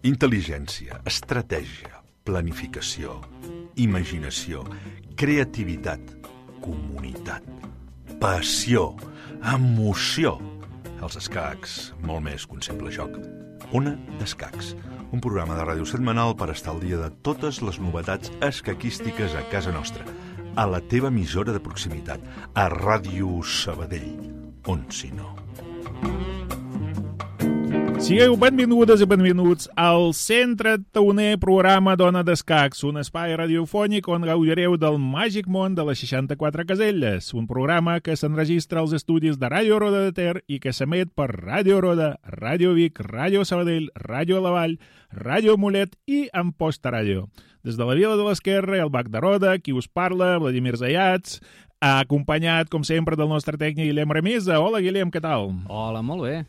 Intel·ligència, estratègia, planificació, imaginació, creativitat, comunitat, passió, emoció. Els escacs, molt més que un simple joc. Ona d'Escacs, un programa de ràdio setmanal per estar al dia de totes les novetats escaquístiques a casa nostra, a la teva emissora de proximitat, a Ràdio Sabadell, on si no. Sigueu benvingudes i benvinguts al 131è programa d'Ona d'Escacs, un espai radiofònic on gaudireu del màgic món de les 64 caselles, un programa que s'enregistra als estudis de Ràdio Roda de Ter i que s'emet per Ràdio Roda, Ràdio Vic, Ràdio Sabadell, Ràdio La Vall, Ràdio Mollet i Amposta Ràdio. Des de la Vila de l'Esquerra, el Bac de Roda, qui us parla, Vladimir Zayats, acompanyat, com sempre, del nostre tècnic Guillem Remisa. Hola, Guillem, què tal? Hola, molt bé.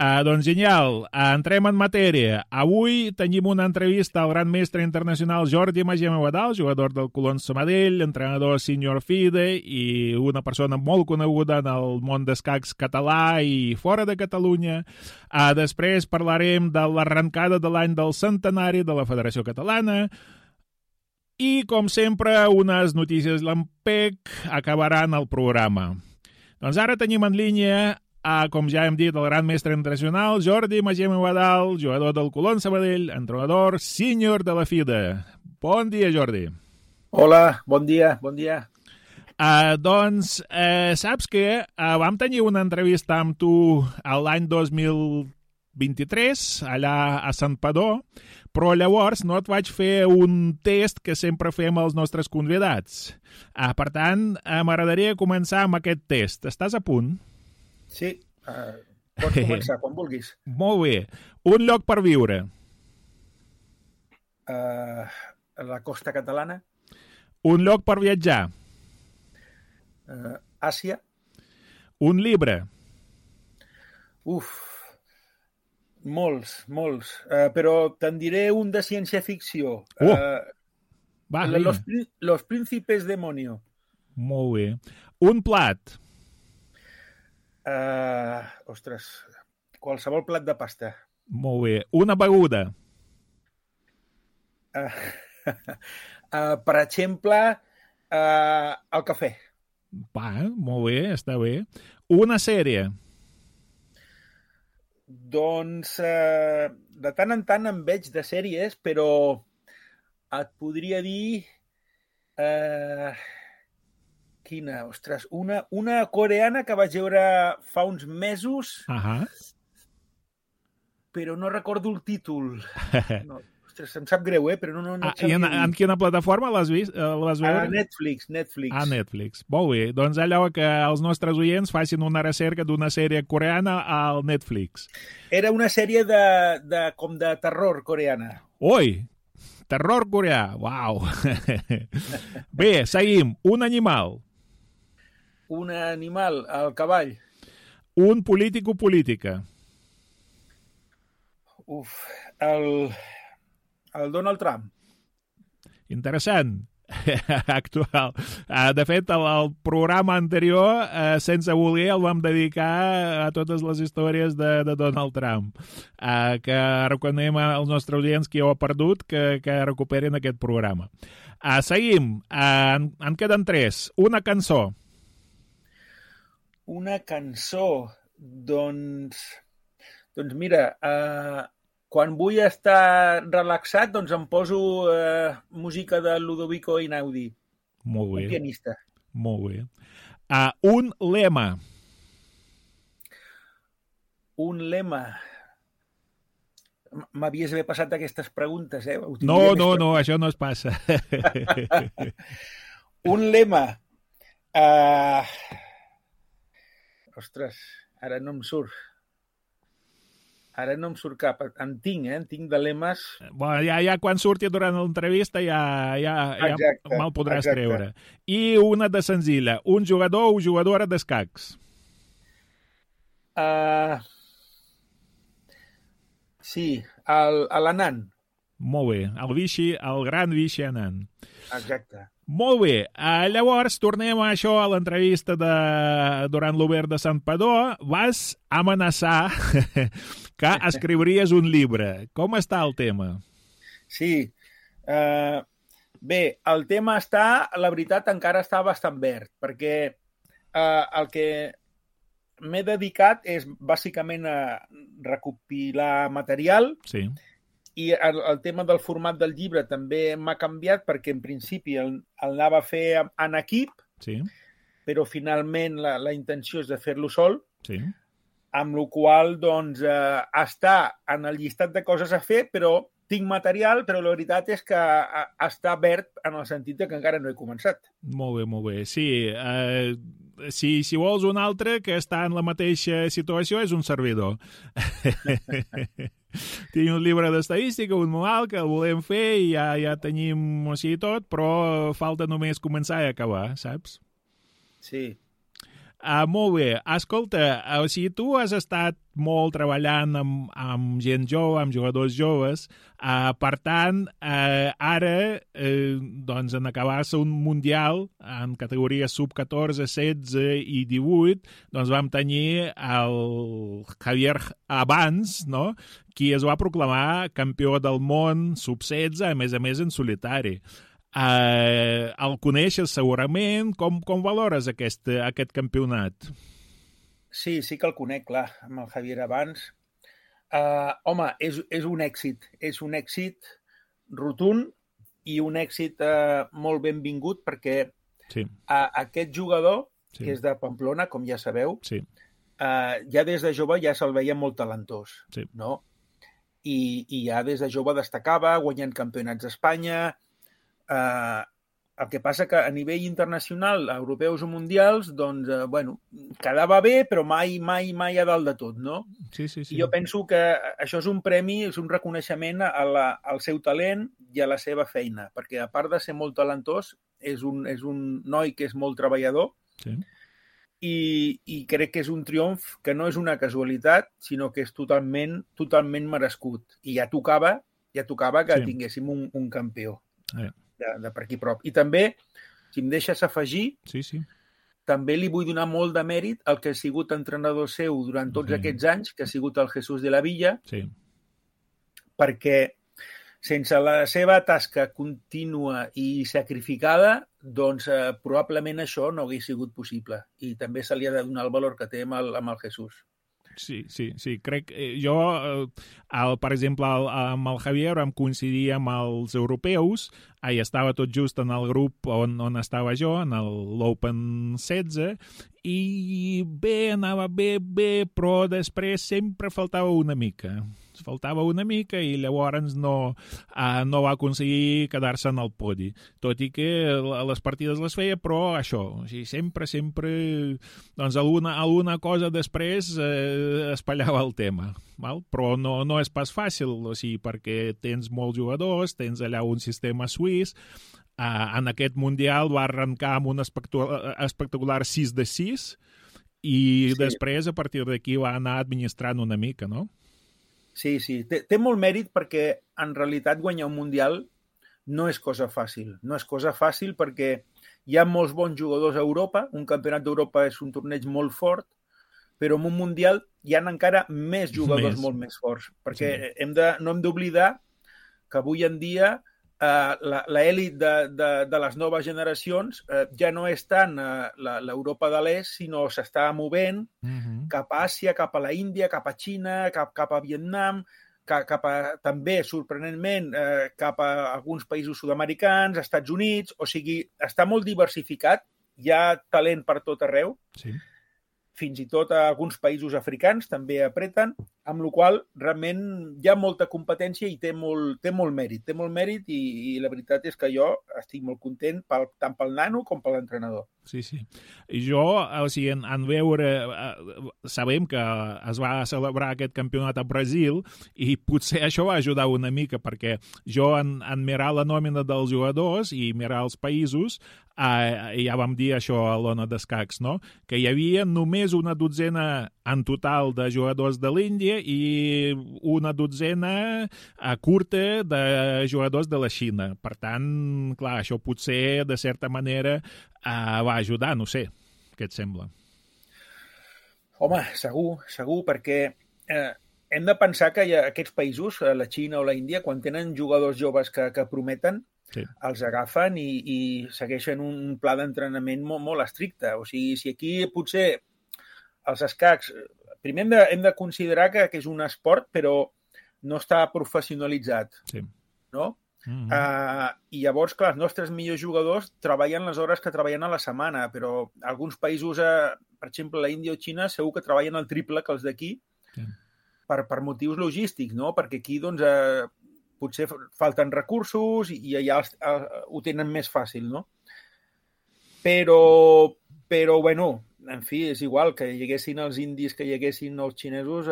Doncs genial, entrem en matèria. Avui tenim una entrevista al gran mestre internacional Jordi Magema Badal, jugador del Colón Sabadell, entrenador senior FIDE i una persona molt coneguda en el món d'escacs català i fora de Catalunya. Després parlarem de l'arrencada de l'any del centenari de la Federació Catalana i, com sempre, unes notícies lampec acabaran el programa. Doncs ara tenim en línia com ja hem dit, el gran mestre internacional, Jordi Magema Badal, jugador del Colón Sabadell, entrenador sènior de la FIDE. Bon dia, Jordi. Hola, bon dia, bon dia. Saps que vam tenir una entrevista amb tu l'any 2023, allà a Sant Padó, però llavors no et vaig fer un test que sempre fem als nostres convidats. Per tant, m'agradaria començar amb aquest test. Estàs a punt? Sí, pots començar quan vulguis. Molt bé. Un lloc per viure? La costa catalana. Un lloc per viatjar? Àsia. Un llibre? Molts. Però te'n diré un de ciència-ficció. Los príncipes demonio. Molt bé. Un plat? Qualsevol plat de pasta. Molt bé. Una beguda? Per exemple, el cafè. Molt bé, està bé. Una sèrie? Doncs, de tant en tant em veig de sèries, però et podria dir... Quina? Ostres, una coreana que vaig veure fa uns mesos, però no recordo el títol. No, ostres, em sap greu, però no I en quina plataforma l'has vist? L'has veure? Netflix. Netflix. Molt bé. Doncs allò que els nostres oients facin una recerca d'una sèrie coreana al Netflix. Era una sèrie com de terror coreana. Ui! Terror coreà. Uau! Bé, seguim. Un animal. Un animal, el cavall. Un polític o política. El Donald Trump. Interessant. Actual. De fet, el programa anterior, sense voler, el vam dedicar a totes les històries de Donald Trump. Que recomanem als nostres audients que ho ha perdut, que recuperin aquest programa. Seguim. En queden 3. Una cançó. Una cançó, doncs mira, quan vull estar relaxat, doncs em poso música de Ludovico Einaudi. Molt bé. Un pianista. Molt bé. Un lema. Un lema. M'havies d'haver passat aquestes preguntes, No, això no es passa. Un lema. Ostres, ara no em surt. Ara no em surt cap. En tinc de lemes. Bueno, ja quan surti durant l'entrevista ja me'l podràs treure. I una de senzilla. Un jugador o jugadora d'escacs. Sí, l'Anand. Molt bé, el gran Vichy Anand. Exacte. Molt bé, llavors tornem a això, a l'entrevista durant l'Obert de Santpedor. Vas amenaçar que escriuries un llibre. Com està el tema? Sí, bé, el tema la veritat, encara està bastant verd, perquè el que m'he dedicat és bàsicament a recopilar material. Sí. I el tema del format del llibre també m'ha canviat perquè en principi el anava a fer en equip, Sí. però finalment la intenció és de fer-lo sol, Sí. amb la qual doncs, està en el llistat de coses a fer, però tinc material, però la veritat és que està verd en el sentit que encara no he començat. Molt bé, molt bé. Sí, si vols un altre que està en la mateixa situació és un servidor. Tinc un llibre d'estadística, un manual que el volem fer i ja tenim o sigui tot, però falta només començar i acabar, saps? Sí. Molt bé. Escolta, o sigui, tu has estat molt treballant amb gent jove, amb jugadors joves. Per tant, ara, doncs, en acabar-se un mundial en categories sub-14, 16 i 18, doncs vam tenir el Javier abans, no?, qui es va proclamar campió del món sub-16, a més en solitari. El coneixes segurament. Com valores aquest campionat? Sí que el conec, clar, amb el Javier abans. Home, és un èxit. És un èxit rotund i un èxit molt benvingut perquè aquest jugador, que és de Pamplona, com ja sabeu, ja des de jove ja se'l veia molt talentós, no? I ja des de jove destacava, guanyant campionats d'Espanya. El que passa que a nivell internacional, europeus o mundials, doncs, bueno, quedava bé, però mai a dalt de tot, no? Sí. I jo penso que això és un premi, és un reconeixement al seu talent i a la seva feina, perquè a part de ser molt talentós, és un noi que és molt treballador i crec que és un triomf que no és una casualitat, sinó que és totalment merescut. I ja tocava que tinguéssim un campió. De per aquí prop. I també, si em deixes afegir, també li vull donar molt de mèrit al que ha sigut entrenador seu durant tots aquests anys, que ha sigut el Jesús de la Villa, perquè sense la seva tasca contínua i sacrificada, doncs probablement això no hauria sigut possible. I també se li ha de donar el valor que té amb el Jesús. Sí. Crec jo, per exemple, amb el Javier vam coincidir amb els europeus, estava tot just en el grup on estava jo, en l'Open 16, i anava bé, però després sempre faltava una mica i llavors no va aconseguir quedar-se en el podi. Tot i que les partides les feia, però això, o sigui, sempre, doncs alguna cosa després espallava el tema. Val? Però no és pas fàcil, o sigui, perquè tens molts jugadors, tens allà un sistema suís. En aquest mundial va arrencar amb un espectacular 6-6 i després, a partir d'aquí, va anar administrant una mica, no? Sí. Té molt mèrit perquè, en realitat, guanyar un mundial no és cosa fàcil. No és cosa fàcil perquè hi ha molts bons jugadors a Europa. Un campionat d'Europa és un torneig molt fort, però en un mundial hi ha encara més jugadors molt més forts. Perquè no hem d'oblidar que avui en dia l'elit de les noves generacions ja no és tant l'Europa de l'Est, sinó s'està movent cap a Àsia, cap a la Índia, cap a Xina, cap a Vietnam, cap a, també, sorprenentment, cap a alguns països sud-americans, Estats Units, o sigui, està molt diversificat, hi ha talent per tot arreu, fins i tot a alguns països africans també apreten, amb la qual realment hi ha molta competència i té molt mèrit i la veritat és que jo estic molt content tant pel nano com per l'entrenador. Sí. I jo, o sigui, en veure, sabem que es va celebrar aquest campionat a Brasil i potser això va ajudar una mica perquè jo en mirar la nòmina dels jugadors i mirar els països, ja vam dir això a l'Ona d'Escacs, no? Que hi havia només una dotzena en total de jugadors de l'Índia Índia i una dotzena curta de jugadors de la Xina. Per tant, clar, això potser, de certa manera, va ajudar, no sé, què et sembla? Home, segur, perquè hem de pensar que aquests països, la Xina o la Índia, quan tenen jugadors joves que prometen, sí, els agafen i segueixen un pla d'entrenament molt estricte. O sigui, si aquí potser els escacs... Primer hem de considerar que és un esport, però no està professionalitzat, sí, no? I llavors, clar, els nostres millors jugadors treballen les hores que treballen a la setmana, però alguns països, per exemple, la Índia o Xina, segur que treballen el triple que els d'aquí, sí, per motius logístics, no? Perquè aquí, doncs, potser falten recursos i allà ho tenen més fàcil, no? Però, bueno, en fi, és igual que hi haguessin els indis, que hi haguessin els xinesos,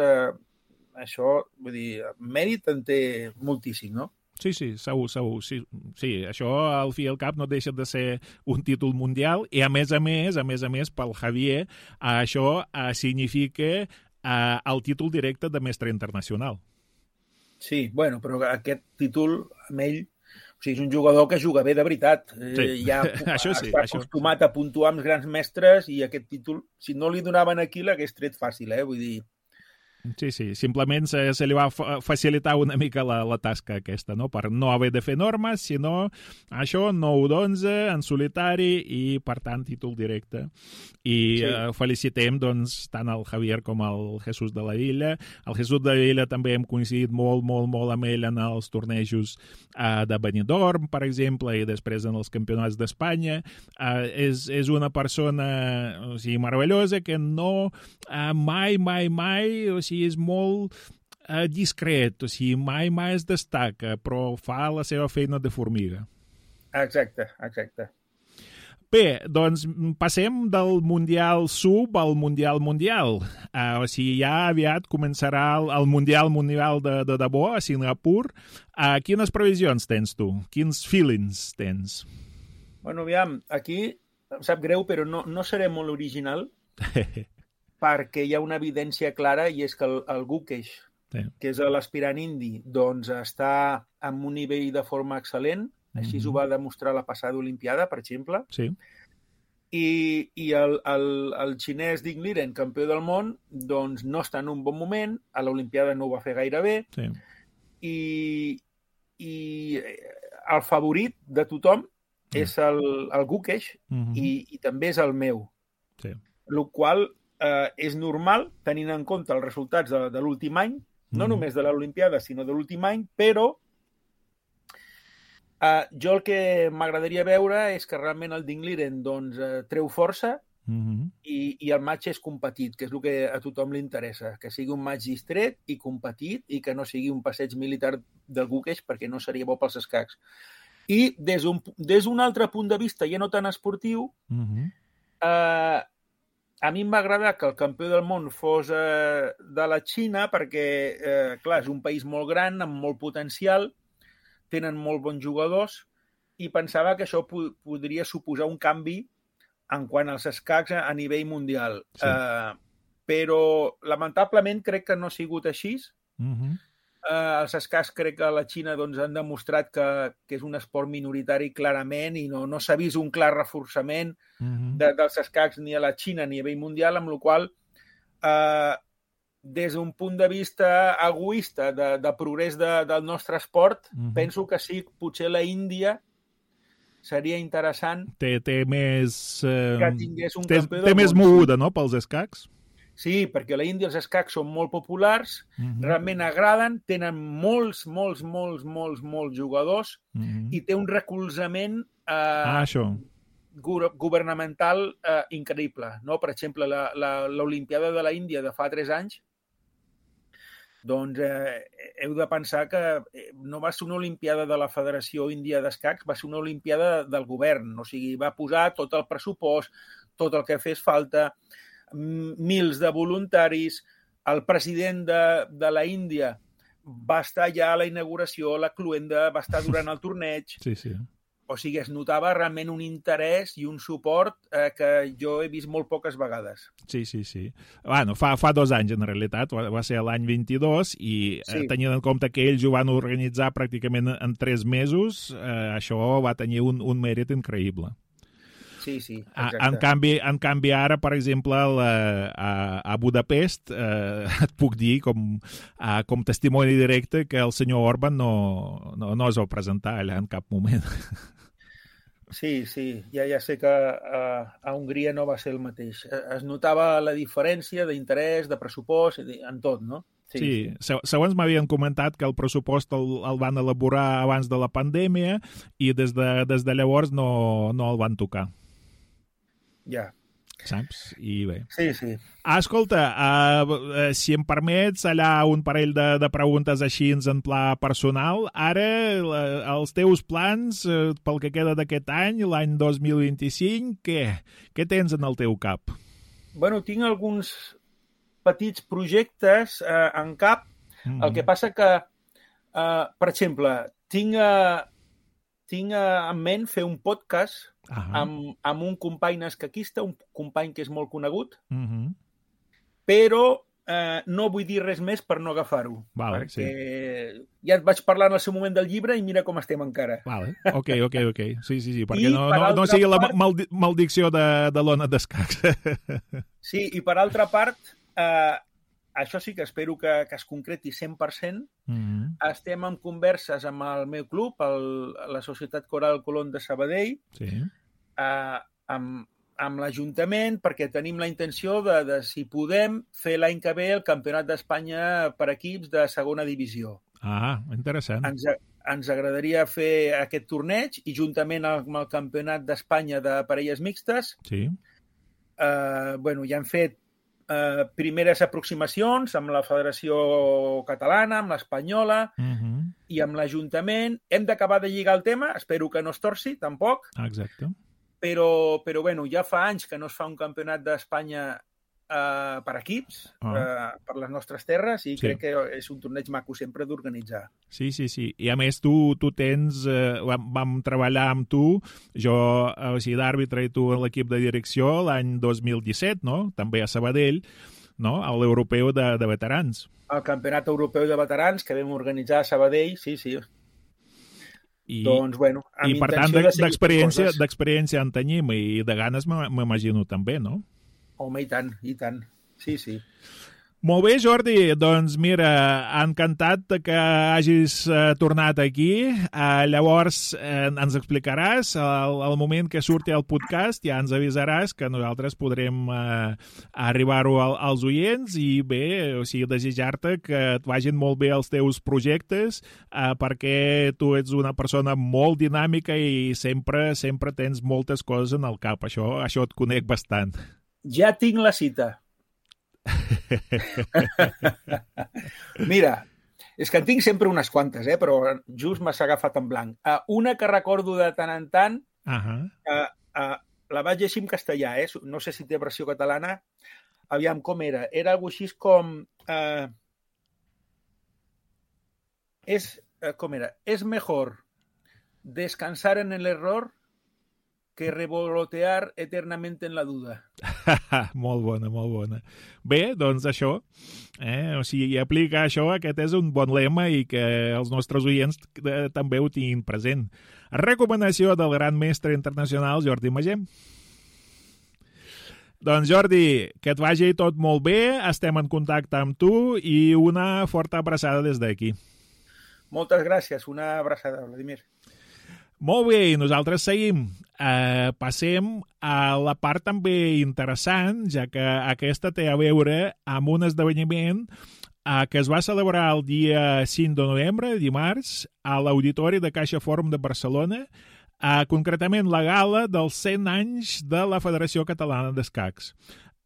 això, vull dir, mèrit en té moltíssim, no? Sí, segur. Sí, això al fi i al cap no deixa de ser un títol mundial i a més, pel Javier, això significa el títol directe de mestre internacional. Sí, bueno, però aquest títol, amb ell, o sigui, és un jugador que juga bé de veritat. Sí, ja això sí. Està acostumat a puntuar amb els grans mestres i aquest títol, si no li donaven aquí, l'hagués tret fàcil, vull dir... Sí, simplement se li va facilitar una mica la tasca aquesta, no? Per no haver de fer normes, sinó això, 9-11, en solitari i, per tant, títol directe. I sí, felicitem, doncs, tant el Javier com el Jesús de la Illa. El Jesús de la Illa també hem coincidit molt amb ell en els tornejos de Benidorm, per exemple, i després en els campionats d'Espanya. És una persona, o sigui, meravellosa, que no mai, o sigui, és molt discret, o sigui, mai es destaca, però fa la seva feina de formiga. Exacte. Bé, doncs passem del Mundial Sub al Mundial. O sigui, ja aviat començarà el Mundial de debò a Singapur. Quines previsions tens tu? Quins feelings tens? Bueno, aviam, aquí em sap greu, però no seré molt original, perquè hi ha una evidència clara i és que el Gukesh, sí, que és l'aspirant indi, doncs està en un nivell de forma excel·lent, així ho va demostrar la passada Olimpiada, per exemple. Sí. I el xinès Ding Liren, campió del món, doncs no està en un bon moment, a l'Olimpiada no ho va fer gaire bé, sí, i el favorit de tothom és el Gukesh i també és el meu. Sí. El qual és normal, tenint en compte els resultats de l'últim any, no només de l'Olimpiada, sinó de l'últim any, però jo el que m'agradaria veure és que realment el Ding Liren doncs, treu força i el match és competit, que és el que a tothom li interessa, que sigui un match distret i competit i que no sigui un passeig militar del Gukesh, perquè no seria bo pels escacs. I des d'un altre punt de vista, ja no tan esportiu, a mi em va agradar que el campió del món fos de la Xina perquè, clar, és un país molt gran, amb molt potencial, tenen molt bons jugadors i pensava que això podria suposar un canvi en quant als escacs a nivell mundial. Sí. Però, lamentablement, crec que no ha sigut així. Els escacs crec que a la Xina doncs, han demostrat que és un esport minoritari clarament i no s'ha vist un clar reforçament dels escacs ni a la Xina ni a nivell mundial, amb la qual des d'un punt de vista egoista de progrés del nostre esport, penso que sí, potser la Índia seria interessant té més que tingués un campió del món. Té més moguda, no?, pels escacs. Sí, perquè a la Índia els escacs són molt populars, realment agraden, tenen molts jugadors i té un recolzament governamental increïble. No? Per exemple, l'Olimpiada de la Índia de fa 3 anys, doncs heu de pensar que no va ser una Olimpiada de la Federació Índia d'Escacs, va ser una Olimpiada del govern. O sigui, va posar tot el pressupost, tot el que fes falta, mils de voluntaris, el president de la Índia va estar ja a la inauguració, la cluenda, va estar durant el torneig. Sí. O sigui, es notava realment un interès i un suport que jo he vist molt poques vegades. Sí. Bueno, fa 2 anys, en realitat, va ser l'any 22, i tenint en compte que ells ho van organitzar pràcticament en 3 mesos, això va tenir un mèrit increïble. Sí, exacte. En canvi, ara, per exemple, a Budapest, et puc dir, com testimoni directe, que el senyor Orban no es va presentar allà en cap moment. Sí, ja sé que a Hongria no va ser el mateix. Es notava la diferència d'interès, de pressupost, en tot, no? Sí. Segons m'havien comentat que el pressupost el van elaborar abans de la pandèmia i des de llavors no el van tocar. Ja. Saps? I bé. Sí. Escolta, si em permets, allà un parell de preguntes així en pla personal. Ara, els teus plans pel que queda d'aquest any, l'any 2025, què tens en el teu cap? Bueno, tinc alguns petits projectes en cap. El que passa que, per exemple, tinc en ment fer un podcast amb un company escaquista, un company que és molt conegut, però no vull dir res més per no agafar-ho. Vale, perquè ja et vaig parlar en el seu moment del llibre i mira com estem encara. Vale. Ok. Sí, perquè no sigui la maledicció de l'ona d'escacs. Sí, i per altra part, això sí que espero que es concreti 100%. Estem en converses amb el meu club, la Societat Coral Colón de Sabadell, amb l'Ajuntament, perquè tenim la intenció de si podem, fer l'any que ve el Campionat d'Espanya per equips de segona divisió. Interessant. Ens agradaria fer aquest torneig i juntament amb el Campionat d'Espanya de parelles mixtes. Sí. Ja hem fet primeres aproximacions amb la Federació Catalana, amb l'Espanyola i amb l'Ajuntament. Hem d'acabar de lligar el tema, espero que no es torci, tampoc. Exacte. Però ja fa anys que no es fa un campionat d'Espanya per equips, per les nostres terres, i crec que és un torneig maco sempre d'organitzar. Sí. I a més tu tens, vam treballar amb tu, jo d'àrbitre i tu en l'equip de direcció l'any 2017, no? També a Sabadell, no? A l'europeu de veterans. El campionat europeu de veterans que vam organitzar a Sabadell, sí. Doncs, i per tant, d'experiència en tenim i de ganes m'imagino també, no? Home, i tant. Sí. Molt bé, Jordi. Doncs mira, encantat que hagis tornat aquí. Llavors ens explicaràs el moment que surti el podcast, ja ens avisaràs que nosaltres podrem arribar-ho als oients i bé, desitjar-te que et vagin molt bé els teus projectes perquè tu ets una persona molt dinàmica i sempre tens moltes coses en el cap. Això et conec bastant. Ja tinc la cita. Mira, és que en tinc sempre unes quantes, però just m'has agafat en blanc. Una que recordo de tant en tant, la vaig llegir en castellà, no sé si té versió catalana. Aviam, com era? Era algo així com... com era? És mejor descansar en el error que revolotear eternamente en la duda. Molt bona. Bé, doncs això, aplica això, aquest és un bon lema i que els nostres oients també ho tinguin present. Recomanació del gran mestre internacional Jordi Magem. Doncs Jordi, que et vagi tot molt bé, estem en contacte amb tu i una forta abraçada des d'aquí. Moltes gràcies, una abraçada, Vladimir. Molt bé, i nosaltres seguim. Passem a la part també interessant, ja que aquesta té a veure amb un esdeveniment que es va celebrar el dia 5 de novembre, dimarts, a l'Auditori de Caixa Fòrum de Barcelona, concretament la gala dels 100 anys de la Federació Catalana d'Escacs.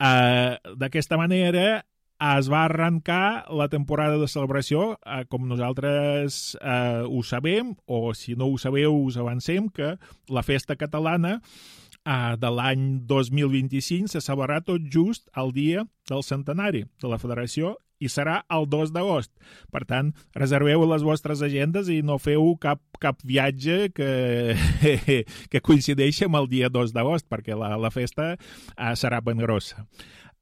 D'aquesta manera es va arrencar la temporada de celebració, com nosaltres ho sabem, o si no ho sabeu us avancem, que la festa catalana de l'any 2025 se celebrarà tot just el dia del centenari de la Federació i serà el 2 d'agost. Per tant, reserveu les vostres agendes i no feu cap viatge que coincideixi amb el dia 2 d'agost, perquè la festa serà ben grossa.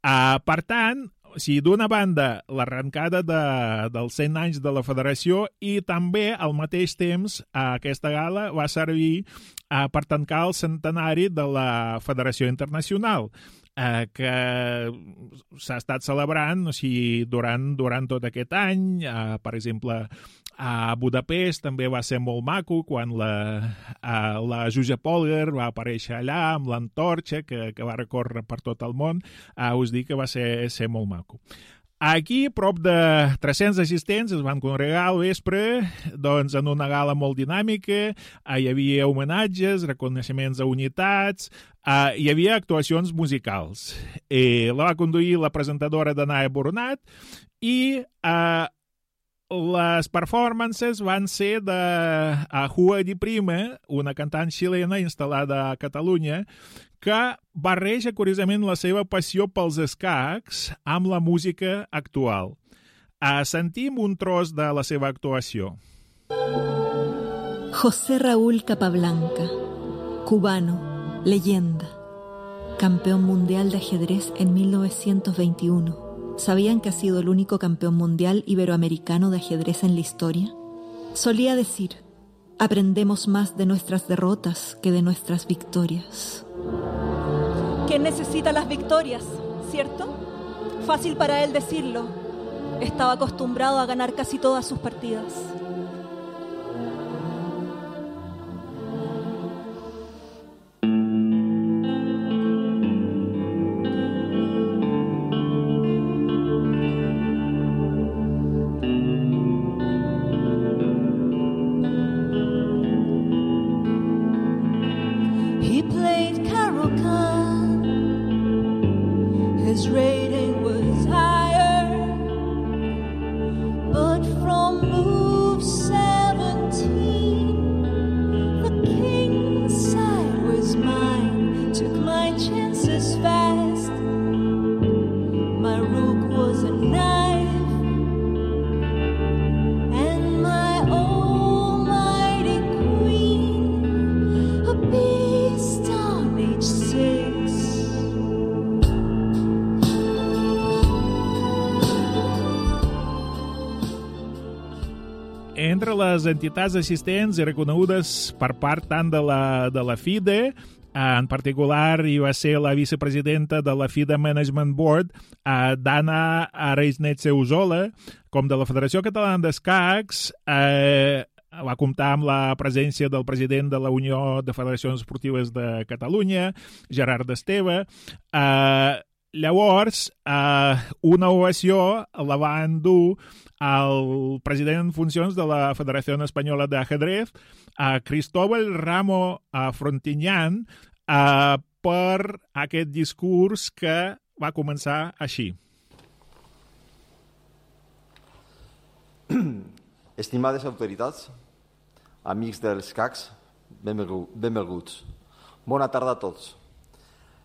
Per tant, d'una banda, l'arrencada dels 100 anys de la federació i també, al mateix temps, aquesta gala va servir per tancar el centenari de la Federació Internacional, que s'ha estat celebrant durant tot aquest any. Per exemple, a Budapest també va ser molt maco quan la Julia Polger va aparèixer allà amb l'antorxa que va recórrer per tot el món. Us dic que va ser molt maco. Aquí, prop de 300 assistents es van congregar al vespre en una gala molt dinàmica. Hi havia homenatges, reconeixements a unitats, hi havia actuacions musicals. La va conduir la presentadora Danae Boronat i les performances van ser de Jua Di Prima, una cantant xilena instal·lada a Catalunya, que barreja, curiosament, la seva passió pels escacs amb la música actual. Sentim un tros de la seva actuació. José Raúl Capablanca, cubano, leyenda, campeón mundial de ajedrez en 1921. ¿Sabían que ha sido el único campeón mundial iberoamericano de ajedrez en la historia? Solía decir, aprendemos más de nuestras derrotas que de nuestras victorias. ¿Quién necesita las victorias, cierto? Fácil para él decirlo. Estaba acostumbrado a ganar casi todas sus partidas. Entre les entitats assistents i reconegudes per part tant de la FIDE, en particular hi va ser la vicepresidenta de la FIDE Management Board, Dana Reisnetxe-Usola, com de la Federació Catalana d'Escacs, va comptar amb la presència del president de la Unió de Federacions Esportives de Catalunya, Gerard Esteve. Llavors, una ovació la va endur el president en funcions de la Federació Espanyola d'Ajedrez, Cristóbal Ramo Frontiñán, per aquest discurs que va començar així. Estimades autoritats, amics dels CACs, benvinguts. Bona tarda a tots.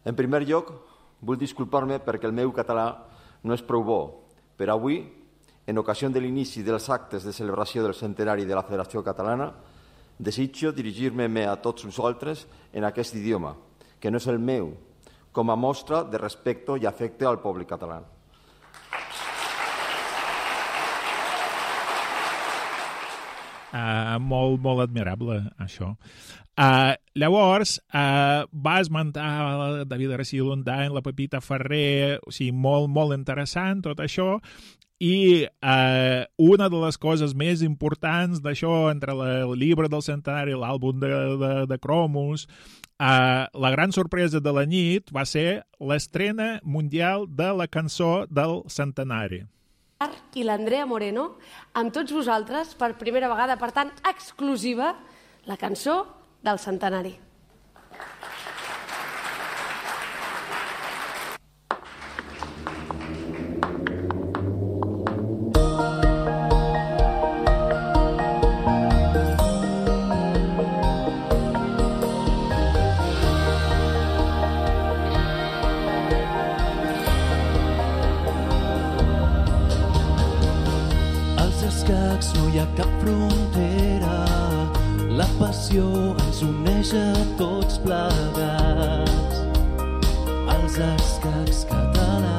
En primer lloc, vull disculpar-me perquè el meu català no és prou bo, però avui, en ocasió de l'inici dels actes de celebració del centenari de la Federació Catalana, desitjo dirigir-me a tots vosaltres en aquest idioma, que no és el meu, com a mostra de respecte i afecte al poble català. Molt admirable, això. Llavors, va esmentar David García Lundain, la Pepita Ferrer, o sigui, molt interessant tot això, i una de les coses més importants d'això, entre el llibre del centenari i l'àlbum de cromos, la gran sorpresa de la nit va ser l'estrena mundial de la cançó del centenari. I l'Andrea Moreno, amb tots vosaltres, per primera vegada, per tant, exclusiva, la cançó del centenari. no hi ha cap frontera, la passió ens uneix a tots plegats, els escacs catalans.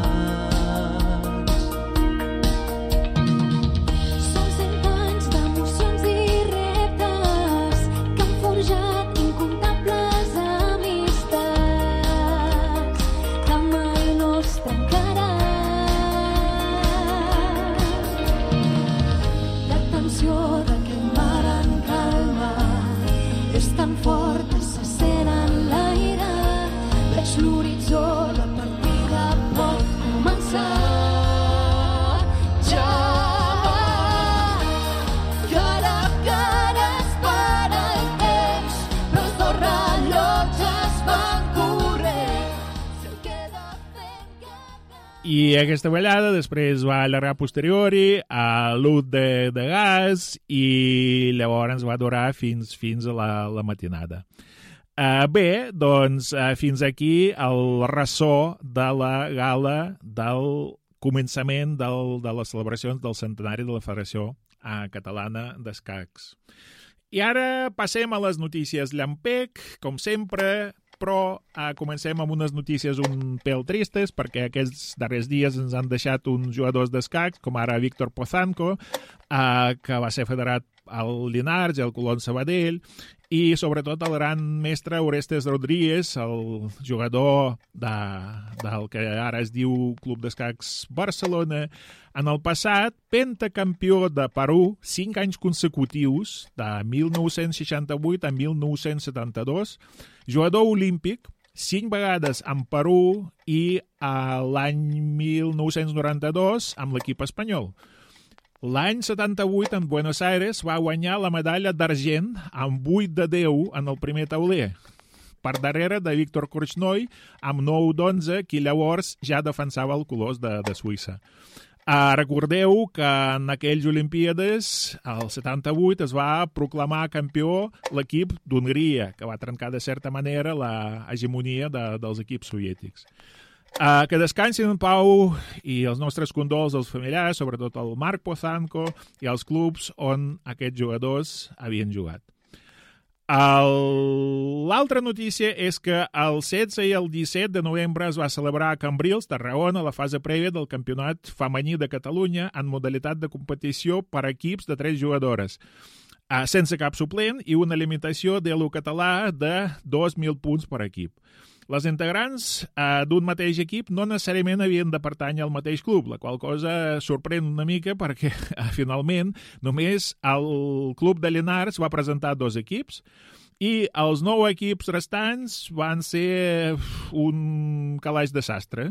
Són 100 anys d'emocions i reptes que han forjat incomptables amistats que mai no es trencaran. La tensió d'aquest mar en calma és tan fort que se sent en l'aire. Veig l'horitzó, la partida pot començar. Ja va, cara a cara es para el temps, però els dos rellotges van corrent. Se'l queda fent cap... I aquesta ballada després va allargar posteriori a l'ús de gas i llavors va durar fins a la matinada. Bé, doncs fins aquí el ressò de la gala del començament de les celebracions del centenari de la Federació Catalana d'Escacs. I ara passem a les notícies llampec, com sempre, però comencem amb unes notícies un pèl tristes, perquè aquests darrers dies ens han deixat uns jugadors d'escacs, com ara Víctor Pozanco, que va ser federat al Llinars i al Colón Sabadell, i sobretot el gran mestre Orestes Rodríguez, el jugador del que ara es diu Club d'Escacs Barcelona. En el passat, pentacampió de Perú 5 anys consecutius, de 1968 a 1972, jugador olímpic 5 vegades en Perú i l'any 1992 amb l'equip espanyol. L'any 78, en Buenos Aires, va guanyar la medalla d'argent amb 8 de 10 en el primer tauler, per darrere de Víctor Korchnoi amb 9 d'11, qui llavors ja defensava el colors de Suïssa. Recordeu que en aquells Olimpíades, el 78, es va proclamar campió l'equip d'Hongria, que va trencar de certa manera l'hegemonia dels equips soviètics. Que descansin en pau i els nostres condols als familiars, sobretot el Marc Pozanco i els clubs on aquests jugadors havien jugat. L'altra notícia és que el 16 i el 17 de novembre es va celebrar a Cambrils, Tarragona, la fase prèvia del Campionat Femení de Catalunya en modalitat de competició per equips de 3 jugadores, sense cap suplent i una limitació de l'U català de 2.000 punts per equip. Les integrants d'un mateix equip no necessàriament havien de pertànyer al mateix club, la qual cosa sorprèn una mica perquè finalment només el club de Llinars va presentar 2 equips i els 9 equips restants van ser un calaix de sastre.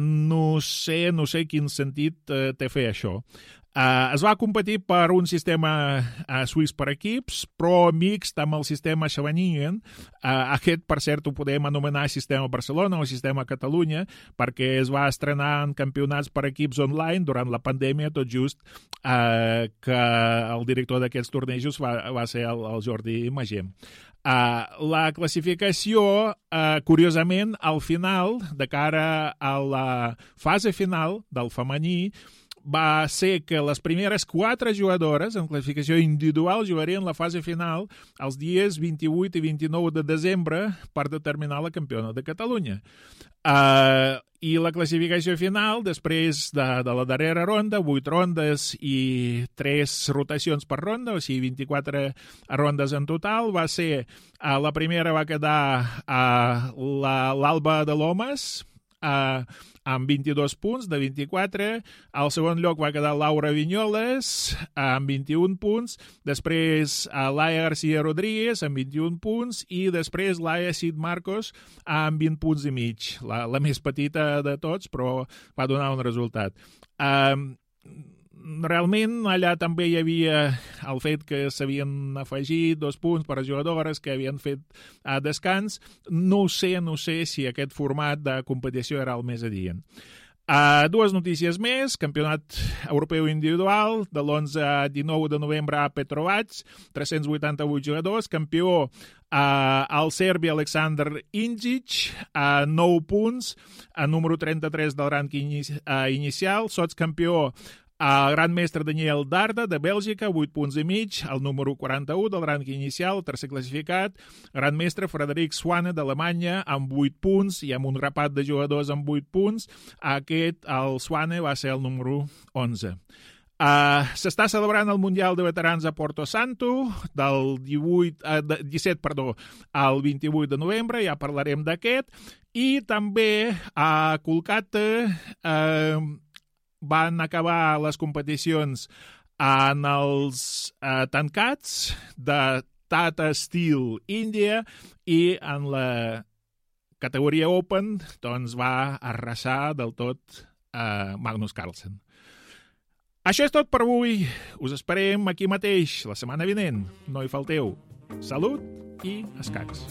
No sé quin sentit té fer això. Es va competir per un sistema suís per equips, però mixt amb el sistema Scheveningen. Aquest, per cert, ho podem anomenar sistema Barcelona o sistema Catalunya, perquè es va estrenar en campionats per equips online durant la pandèmia, tot just que el director d'aquests tornejos va ser el Jordi Magem. La classificació, curiosament, al final, de cara a la fase final del femení, va ser que les primeres 4 jugadores en classificació individual jugarien la fase final els dies 28 i 29 de desembre per determinar la campiona de Catalunya. I la classificació final, després de la darrera ronda, 8 rondes i 3 rotacions per ronda, o sigui, 24 rondes en total, va ser, la primera va quedar l'Alba de Lomas, amb 22 punts de 24. Al segon lloc va quedar Laura Vinyoles amb 21 punts. Després Laia García Rodríguez amb 21 punts i després Laia Cid Marcos amb 20 punts i mig. La més petita de tots, però va donar un resultat. Realment allà també hi havia el fet que s'havien afegit 2 punts per a jugadores que havien fet descans. No sé si aquest format de competició era el més adient. 2 notícies més. Campionat europeu individual de l'11 a 19 de novembre a Petrovac, 388 jugadors. Campió el serbi Aleksandar Ingic, 9 punts, número 33 del rànquing inicial. Sotscampió El gran mestre Daniel Darda, de Bèlgica, 8 punts i mig, el número 41 del rànquing inicial, el tercer classificat. Gran mestre Frederic Swane, d'Alemanya, amb 8 punts, i amb un rapat de jugadors amb 8 punts. El Swane va ser el número 11. S'està celebrant el Mundial de Veterans a Porto Santo del 17 al 28 de novembre, ja parlarem d'aquest, i també a Kolkata van acabar les competicions en els tancats de Tata Steel India, i en la categoria Open doncs va arrasar del tot Magnus Carlsen. Això és tot per avui. Us esperem aquí mateix la setmana vinent. No hi falteu. Salut i escacs.